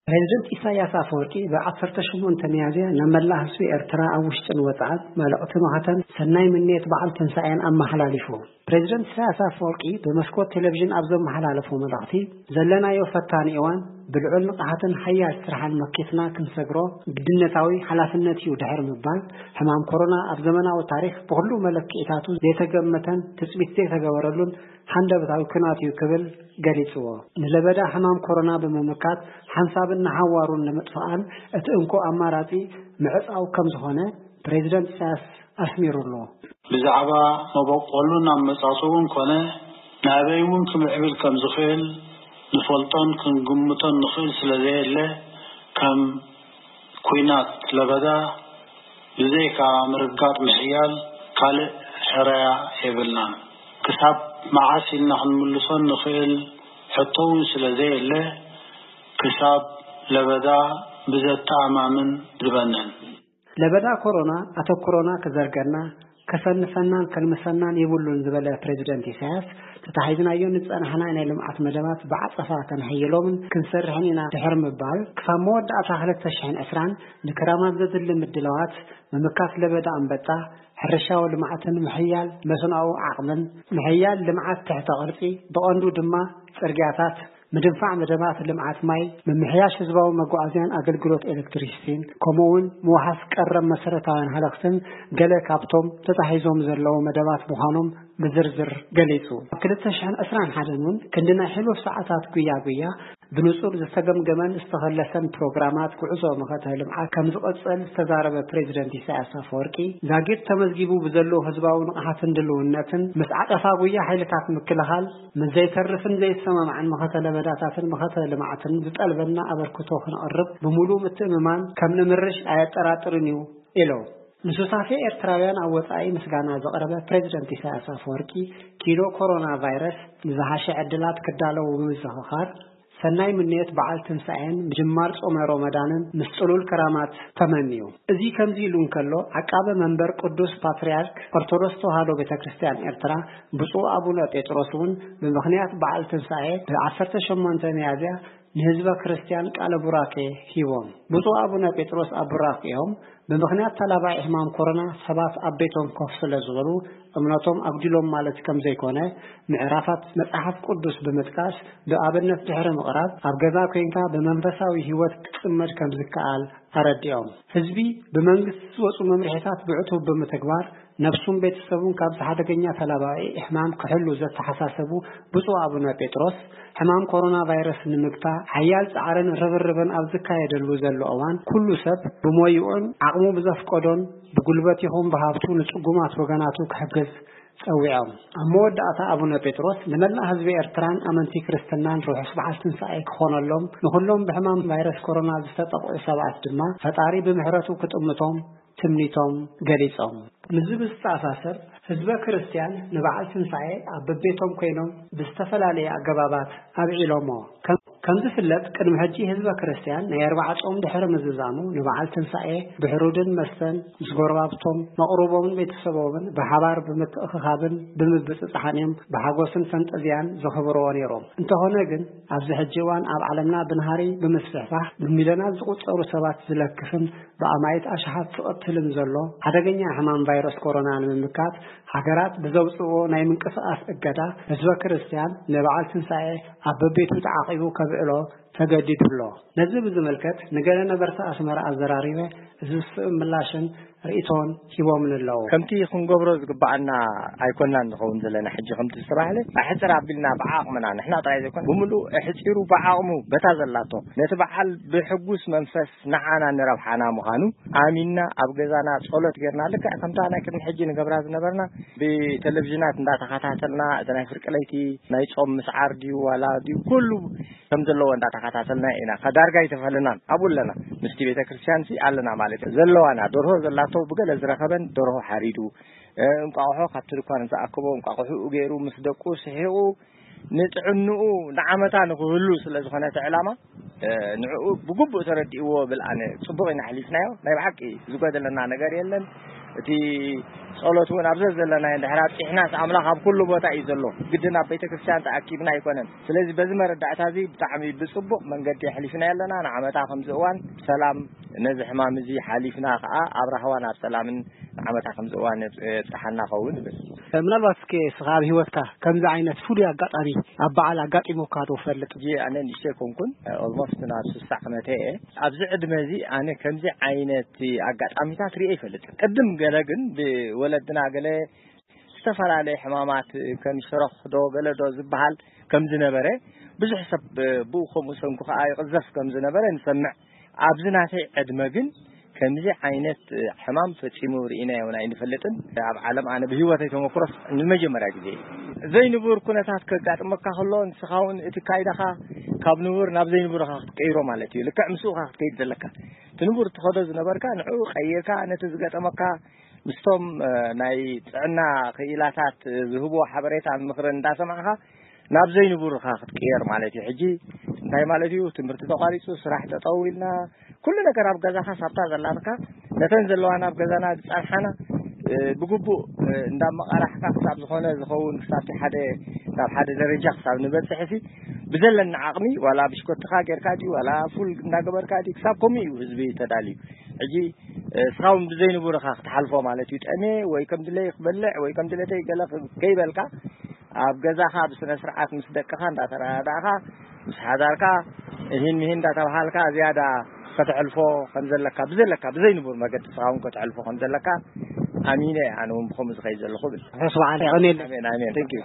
ፕሬዚደንት ኢሳያስ ኣፈወርቂ ብ ዓሰርተ ሸሞንተ ሚያዝያ ናብ መላእ ህዝቢ ኤርትራ ኣብ ውሽጥን ወጻእን መልእኽቲ መኸተን ሰናይ ምንየት በዓል ትንሳኤን ኣመሓላሊፉ። ፕሬዚደንት ኢሳያስ ኣፈወርቂ ብመስኮት ቴሌቪዥን ኣብ ዘመሓላለፎ መልእኽቲ፣ ዘለናዮ ፈታኒ እዋን ብልዑል ንቕሓትን ሓያል ስራሕን መኪትና ክንሰግሮ ግድነታዊ ሓላፍነት እዩ ድሕሪ ምባል፣ ሕማም ኮሮና ኣብ ዘመናዊ ታሪኽ ብኹሉ መለክዒታቱ ዘይተገመተን ትጽቢት ዘይተገበረሉን ሓንደበታዊ ኩናት እዩ ክብል ገሊጽዎ። ንለበዳ ሕማም ኮሮና ብምምካት ሓንሳብን ንሓዋሩን ንምጥፋኣን እቲ እንኮ ኣማራጺ ምዕጻው ከም ዝኾነ ፕሬዚደንት ኢሳያስ ኣስሚሩሉ። ብዛዕባ መበቆሉን ኣመጻጽኡን ኮነ ናበይ እውን ክምዕብል ከም ዝኽእል ንፈልጦን ክንግምቶን ንኽእል ስለ ዘየለ፣ ከም ኲናት ለበዳ ብዘይካ ምርጋጥ ምሕያል ካልእ ሕረያ የብልናን። ክሳብ መዓስ ኢልና ክንምልሶ ንኽእል ሕቶ እውን ስለ ዘየለ፣ ክሳብ ለበዳ ብዘተኣማምን ዝበነን። ለበዳ ኮሮና ኣተኩሮና ክዘርገና፣ ከሰንፈናን ከልምሰናን የብሉን ዝበለ ፕሬዚደንት ኢሳያስ፣ ተታሒዝናዮ ንጸናሕና ናይ ልምዓት መደባት ብዓጸፋ ከነሕይሎምን ክንሰርሕን ኢና ድሕሪ ምባል፣ ክሳብ መወዳእታ ክልተ ሽሕን ዕስራን ንክራማት ዘድሊ ምድላዋት፣ ምምካት ለበዳ ኣንበጣ፣ ሕርሻዊ ልምዓትን ምሕያል መስኖኣዊ ዓቕምን፣ ምሕያል ልምዓት ትሕተ ቅርጺ፣ ብቐንዱ ድማ ጽርግያታት፣ ምድንፋዕ መደባት ልምዓት ማይ፣ ምምሕያሽ ህዝባዊ መጓዓዝያን ኣገልግሎት ኤሌክትሪሲቲን፣ ከምኡ እውን ምውሓስ ቀረብ መሰረታውያን ሃለኽትን ገለ ካብቶም ተታሒዞም ዘለዉ መደባት ምዃኖም ብዝርዝር ገሊጹ። ኣብ ክልተ ሽሕን ዕስራን ሓደን እውን ክንዲ ናይ ሕሉፍ ሰዓታት ጉያ ጉያ ብንጹር ዝተገምገመን ዝተኸለሰን ፕሮግራማት ጉዕዞ መኸተ ልምዓት ከም ዝቐጸል ዝተዛረበ ፕሬዚደንት ኢሳያስ ኣፈወርቂ፣ ዛጊድ ተመዝጊቡ ብዘሎ ህዝባዊ ንቕሓትን ድልውነትን ምስ ዓጸፋ ጉያ ሓይልታት ምክልኻል፣ ምስ ዘይተርፍን ዘይሰማማዕን መኸተ ለበዳታትን መኸተ ልምዓትን ዝጠልበና ኣበርክቶ ክንቕርብ ብምሉእ ምትእምማን ከም ንምርሽ ኣየጠራጥርን እዩ ኢሉ። ንሱታፌ ኤርትራውያን ኣብ ወጻኢ ምስጋና ዘቕረበ ፕሬዚደንት ኢሳያስ ኣፈወርቂ፣ ኪኖ ኮሮና ቫይረስ ንዝሓሸ ዕድላት ክዳለዉ ብምዝኽኻር፣ ሰናይ ምንየት በዓል ትንሳኤን ምጅማር ጾመ ሮመዳንን ምስ ጽሉል ክራማት ተመንዩ። እዚ ከምዚ ኢሉ እንከሎ፣ ዓቃበ መንበር ቅዱስ ፓትርያርክ ኦርቶዶክስ ተዋህዶ ቤተ ክርስቲያን ኤርትራ ብፁዕ ኣቡነ ጴጥሮስ እውን ብምኽንያት በዓል ትንሳኤ ብ ዓሰርተ ሸሞንተ ሚያዝያ ንህዝበ ክርስቲያን ቃለ ቡራኬ ሂቦም። ብፁዕ ኣቡነ ጴጥሮስ ኣብ ቡራኬኦም፣ ብምኽንያት ተላባዒ ሕማም ኮሮና ሰባት ኣብ ቤቶም ኮፍ ስለ ዝበሉ እምነቶም ኣጉዲሎም ማለት ከም ዘይኮነ፣ ምዕራፋት መጽሓፍ ቅዱስ ብምጥቃስ ብኣብነት ድሕሪ ምቕራብ፣ ኣብ ገዛ ኮይንካ ብመንፈሳዊ ህይወት ክትጽመድ ከም ዝከኣል ኣረዲኦም። ህዝቢ ብመንግስቲ ዝወጹ መምርሒታት ብዕቱብ ብምትግባር፣ ነብሱን ቤተሰቡን ካብዚ ሓደገኛ ተላባዒ ሕማም ክሕሉ ዘተሓሳሰቡ ብፁዕ ኣቡነ ጴጥሮስ፣ ሕማም ኮሮና ቫይረስ ንምግታእ ሓያል ጻዕርን ርብርብን ኣብ ዝካየደሉ ዘሎ እዋን፣ ኩሉ ሰብ ብሞይኡን ዓቕሙ ብዘፍቀዶን ብጉልበት ይኹን ብሃብቱ ንጽጉማት ወገናቱ ክሕግዝ ጸዊዖም። ኣብ መወዳእታ ኣቡነ ጴጥሮስ ንመላእ ህዝቢ ኤርትራን ኣመንቲ ክርስትናን ርሑስ በዓል ትንሳኤ ክኾነሎም፣ ንኹሎም ብሕማም ቫይረስ ኮሮና ዝተጠቕዑ ሰባት ድማ ፈጣሪ ብምሕረቱ ክጥምቶም ትምኒቶም ገሊጾም። ምስዚ ብዝተኣሳሰር፣ ህዝበ ክርስቲያን ንበዓል ትንሳኤ ኣብ በቤቶም ኮይኖም ብዝተፈላለየ ኣገባባት ኣብዒሎሞ። ከም-፣ ከም ዝፍለጥ፣ ቅድሚ ሕጂ ህዝበ ክርስቲያን ናይ ኣርብዓ ጾም ድሕሪ ምዝዛሙ፣ ንበዓል ትንሳኤ ብሕሩድን መስተን ምስ ጎረባብቶም፣ መቕርቦምን ቤተሰቦምን ብሓባር ብምትእኽኻብን ብምብጽጻሕን እዮም ብሓጎስን ፈንጠዝያን ዘኽብርዎ ነይሮም። እንተኾነ ግን፣ ኣብዚ ሕጂ እዋን ኣብ ዓለምና ብናህሪ ብምስፍሕፋሕ ብሚልዮናት ዝቑጸሩ ሰባት ዝለክፍን ብኣማኢት ኣሽሓት ዝቐትልን ዘሎ ሓደገኛ ሕማም ቫይረስ ኮሮና ንምምካት፣ ሃገራት ብዘውጽእዎ ናይ ምንቅስቓስ እገዳ፣ ህዝበ ክርስቲያን ንበዓል ትንሳኤ ኣብ በቤቱ ተዓቒቡ ከብዕሎ ተገዲዱ ኣሎ። ነዚ ብዝምልከት ንገለ ነበርቲ ኣስመራ ኣዘራሪበ፣ እዚ ዝስዕብ ምላሽን ርእይቶን ሂቦምን ኣለዉ። ከምቲ ክንገብሮ ዝግብኣና ኣይኮናን ንኸውን ዘለና። ሕጂ ከምቲ ዝተባህለ፣ ኣሕጽር ኣቢልና ብዓቕምና፣ ንሕና ጥራይ ዘይኮነ፣ ብምሉእ ኣሕጺሩ ብዓቕሙ በታ ዘላቶ፣ ነቲ በዓል ብሕጉስ መንፈስ ንዓና ንረብሓና ምዃኑ ኣሚንና፣ ኣብ ገዛና ጸሎት ጌርና፣ ልክዕ ከምታ ናይ ቅድሚ ሕጂ ንገብራ ዝነበርና፣ ብቴሌቪዥናት እንዳተኸታተልና፣ እቲ ናይ ፍርቂ ለይቲ ናይ ጾም ምስዓር ድዩ ዋላ ድዩ፣ ኩሉ ከም ዘለዎ እንዳተኸታተልና ኢና። ከ ዳርጋ ኣይተፈለናን። ኣብኡ ኣለና። ምስቲ ቤተ ክርስቲያን ሲ ኣለና ማለት እዩ። ዘለዋና ደርሆ ዘላቶ ብገለ ዝረኸበን ደርሆ ሓሪዱ፣ እ፣ እንቋቑሖ ካብቲ ድኳን ዝኣከቦ እንቋቑሖኡ ገይሩ ምስ ደቁ ስሒቑ ንጥዕንኡ ንዓመታ ንኽህሉ ስለ ዝኾነ እቲ ዕላማ፣ እ፣ ንዕኡ ብግቡእ ተረዲእዎ ብል ኣነ። ጽቡቕ ኢና ኣሕሊፍናዮ። ናይ ብሓቂ ዝጎደለና ነገር የለን። እቲ ጸሎት እውን ኣብ ዘዘለናዮ እንድሕር ኣብጺሕናስ ኣምላኽ ኣብ ኩሉ ቦታ እዩ ዘሎ። ግድን ኣብ ቤተ ክርስቲያን ተኣኪብና ኣይኮነን። ስለዚ በዚ መረዳእታ እዚ ብጣዕሚ ብጽቡቕ መንገዲ ኣሕሊፍና ኣለና። ንዓመታ ከምዚ እዋን ብሰላም ነዚ ሕማም እዚ ሓሊፍና ከኣ ኣብ ራህዋን ኣብ ሰላምን ንዓመታ ከምዚ እዋን የብጽሓና ኸውን ይብል። ምናልባት እስኪ እስኻ ኣብ ህይወትካ ከምዚ ዓይነት ፍሉይ ኣጋጣሚ ኣብ በዓል ኣጋጢሙካ ዶ ፈልጥ? ሕጂ ኣነ ንእሽተይ ኮንኩን፣ ኦልሞስት ናብ ስሳ ዓመተ እየ። ኣብዚ ዕድመ እዚ ኣነ ከምዚ ዓይነት ኣጋጣሚታት ርእየ ይፈልጥ። ቅድም ገለ ግን ብወለድና ገለ ዝተፈላለየ ሕማማት ከም ሸሮኽ ዶ ገለ ዶ ዝበሃል ከም ዝነበረ፣ ብዙሕ ሰብ ብኡ ከምኡ ሰንኩ ከኣ ይቕዘፍ ከም ዝነበረ ንሰምዕ። ኣብዚ ናተይ ዕድመ ግን ከምዚ ዓይነት ሕማም ፈጺሙ ርኢናዮን ኣይንፈልጥን። ኣብ ዓለም ኣነ ብህይወተይ ተመክሮስ ንመጀመርያ ግዜ እዩ። ዘይንቡር ኩነታት ከጋጥመካ ከሎ፣ ንስኻ እውን እቲ ካይዳኻ ካብ ንቡር ናብ ዘይንቡር ኢኻ ክትቀይሮ ማለት እዩ። ልክዕ ምስኡ ኢኻ ክትከይድ ዘለካ። እቲ ንቡር ትኸዶ ዝነበርካ ንዕኡ ቀይርካ፣ ነቲ ዝገጠመካ ምስቶም፣ እ፣ ናይ ጥዕና ክኢላታት ዝህብዎ ሓበሬታን ምኽርን እንዳሰማዕኻ ናብ ዘይንቡር ኢኻ ክትቅየር ማለት እዩ። ሕጂ እንታይ ማለት እዩ? ትምህርቲ ተቋሪጹ፣ ስራሕ ጠጠው ኢልና፣ ኩሉ ነገር ኣብ ገዛኻ ሳብታ ዘላትካ፣ ነተን ዘለዋና ኣብ ገዛና ዝጸንሓና፣ እ፣ ብግቡእ፣ እ፣ እንዳመቓራሕካ ክሳብ ዝኾነ ዝኸውን፣ ክሳብቲ ሓደ፣ ናብ ሓደ ደረጃ ክሳብ ንበጽሕሲ፣ ብዘለና ዓቕሚ፣ ዋላ ብሽኮትኻ ጌርካ ድዩ፣ ዋላ ፉል እንዳገበርካ ድዩ፣ ክሳብ ከምኡ እዩ ህዝቢ ተዳልዩ። ሕጂ፣ እ፣ እስኻ እውን ብዘይንቡር ኢኻ ክትሓልፎ ማለት እዩ። ጠሜ ወይ ከም ድለይ ክበልዕ ወይ ከም ድለተይ ገለ ክ-፣ ከይበልካ፣ ኣብ ገዛኻ ብስነ ስርዓት ምስ ደቅኻ እንዳተረዳዳእኻ፣ ምስ ሓዳርካ፣ እሂን ምሂን እንዳተባሃልካ ዝያዳ ከተሕልፎ ከም ዘለካ፣ ብዘለካ፣ ብዘይንቡር መገዲ እስኻ እውን ከተሕልፎ ከም ዘለካ ኣሚነ እየ ኣነ እውን ብኸምኡ ዝኸይድ ዘለኹ ብል። ርሑስ በዓል፣ የቐንየለይ። ኣሜን፣ ኣሜን። Thank you።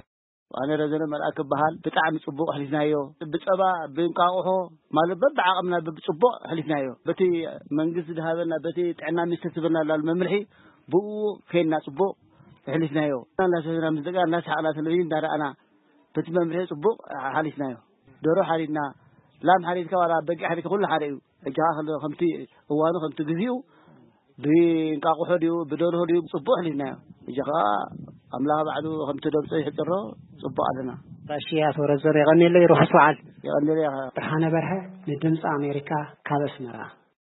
ኣነ ረዘነ መልኣክ እበሃል። ብጣዕሚ ጽቡቕ ኣሕሊፍናዮ። ብጸባ፣ ብእንቃቑሖ፣ ማለት በብዓቕምና ብጽቡቕ ኣሕሊፍናዮ። በቲ መንግስቲ ዝሃበና፣ በቲ ጥዕና ሚኒስትር ዝህበና ላሉ መምርሒ፣ ብኡ ከይድና ጽቡቕ ኣሕሊፍናዮ። እናሰተና ምስ ደቅና፣ እናሰሓቕና፣ ቴሌቪዥን እናረኣና፣ በቲ መምርሒ ጽቡቕ ሓሊፍናዮ። ደርሆ ሓሪድና፣ ላም ሓሪድካ፣ ዋላ በጊዕ ሓሪድካ፣ ኩሉ ሓደ እዩ። ሕጂ ከኣ ከሎ ከምቲ እዋኑ፣ ከምቲ ግዚኡ፣ ብእንቃቑሖ ድዩ፣ ብደርሆ ድዩ፣ ጽቡቕ ኣሕሊፍናዮ። ሕጂ ከኣ ኣምላኽ ባዕሉ ከምቲ ደምጾ ይሕጽሮ፣ ጽቡቕ ኣለና። ራሺ፣ ኣቶ ረዘነ፣ የቐንየለይ፣ ርሑስ በዓል። የቐንየለይ። ብርሃነ በርሀ፣ ንድምፂ ኣሜሪካ፣ ካብ ኣስመራ።